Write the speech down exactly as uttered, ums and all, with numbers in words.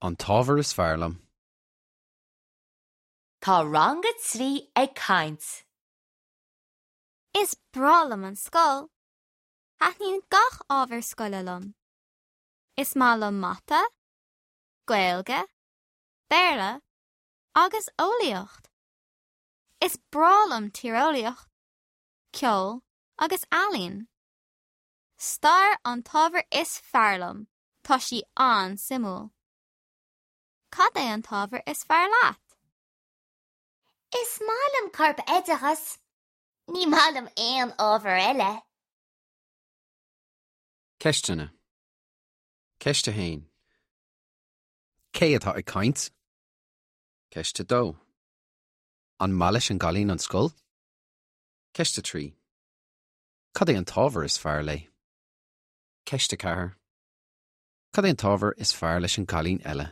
An t-ábhar is fearr liom. Tá rang a trí ag caint. Is breá liom an scoil. Taitníonn gach ábhar scoile liom. Is maith liom mata, Gaeilge, Béarla agus eolaíocht. Is breá liom tíreolaíocht, ceol agus ealaín. Stair an t-ábhar is fearr liom, tá sí an-suimiúil. Cad é an t-ábhar is fearr leat? Is maith liom corpoideachas. Ní maith liom aon ábhar eile. Ceisteanna. Ceist a haon. Cé atá ag caint? Ceist a dó. An maith leis an gcailín an scoil? Ceist a trí. Cad é an t-ábhar is fearr léi? Ceist a ceathair. Cad é an t-ábhar is fearr leis an gcailín eile?